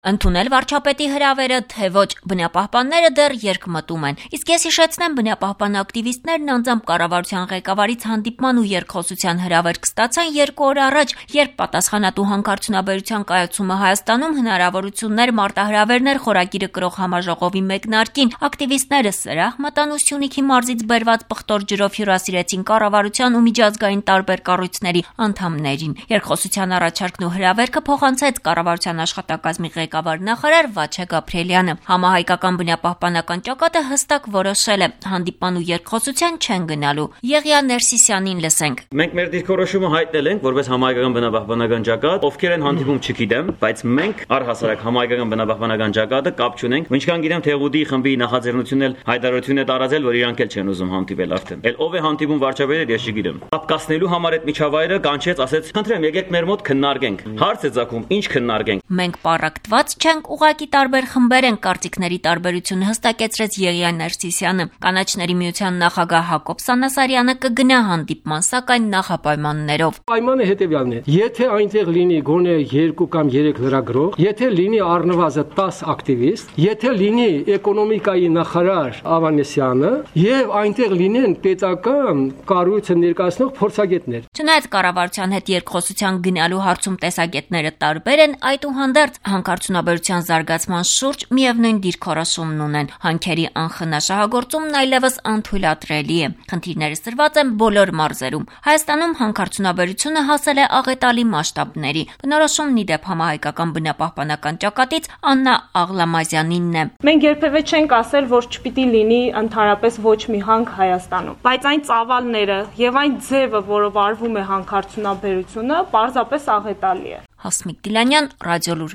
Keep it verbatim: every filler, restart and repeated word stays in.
Ընդունել վարչապետի հրավերը, թե ոչ, բնապահպանները դեռ երկմտում են, իսկ ես հիշեցնեմ, բնապահպան ակտիվիստներն անձամբ կառավարության ղեկավարից հանդիպման ու երկխոսության հրավեր կստացան երկու օր առաջ, երբ պատասխանատու հանքարդյունաբերության կայացումը Հայաստանում հնարավորություններ մարտահրավերներ խորագիրը կրող համաժողովի մեկնարկին, ակտիվիստները սրահ մտան ու Սյունիքի մարզից բերված պղտոր ջրով հյուրասիրեցին կառավարության ու միջազգային տարբեր կառույցների անդամներին։ Երկխոսության առաջարկն ու հրավերքը փոխանցեց կառավարության աշխատակազմի ղեկավար նախարար Վաչե Գաբրիելյանը։ Համահայկական բնապահպանական ճակատը հստակ որոշել է հանդիպման ու երկխոսության չեն գնալու։ Եղիա Ներսիսյանին լսենք։ Մենք մեր դիրքորոշումը հայտնել ենք որպես համահայկական բնապահպանական ճակատ, ովքեր են հանդիպում չգիտեմ, բայց մենք առհասարակ համահայկական բնապահպանական ճակատը կապ չունենք։ Ինչքան գիտեմ, Թեղուտի խմբի նախաձեռնությունն էլ հայտարարություն է տարածել, որ իրանք էլ չեն ուզում հանդիպել արդեն։ Էլ ով է հանդիպում վարչապետը, ես չգիտեմ։ Ապկասնելու համար այդ միջավայրը կանչեց, ասեց, խնդրեմ, եկեք մեր մոտ քննարկենք։ Հարց է ցակում, ինչ քննարկենք։ Մենք պարակտված չենք, ուղղակի տարբեր խմբեր են, կարծիքների տարբերությունը հստակեցրեց Եղիա Ներսիսյանը։ Կանաչների միության նախագահ Հակոբ Սանասարյանը կգնա հանդիպման, սակայն նախապայմաններով։ Պայմանը հետևյալն է. եթե այնտեղ լինի գոնե երկու կամ երեք լրագրող, եթե լինի առնվազն տասը ակտիվիստ, եթե լինի էկոնոմիկայի նախարար Ավանեսյանը եւ այնտեղ լինեն պետական կառույցը ներկայացնող փորձագետներ։ Չնայած կառավարության հետ երկխոսության գնալու հարցում տեսակետները տարբեր են, այդուհանդերձ հանքարդյունաբերության զարգացման շուրջ միևնույն դիրքորոշումն ունեն։ Հանքերի անխնա շահագործումն այլևս անթույլատրելի է։ Խնդիրները սրված են բոլոր մարզերում։ Հայաստանում հանքարդյունաբերությունը հասել է աղետալի մասշտաբների։ Բնորոշումն ի դեպ համահայկական բնապահպանական ճակատից Աննա Աղլամազյանինն է։ Մենք երբևէ չենք ասել, որ չպիտի լինի ընդհանրապես ոչ մի հանք Հայաստանում, բայց այն ծավալները եւ այն ձևը, որով արվում է հանքարդյունաբերությունը, պարզապես աղետալի է։ Հասմիկ Դիլանյան, Ռադիոլուր։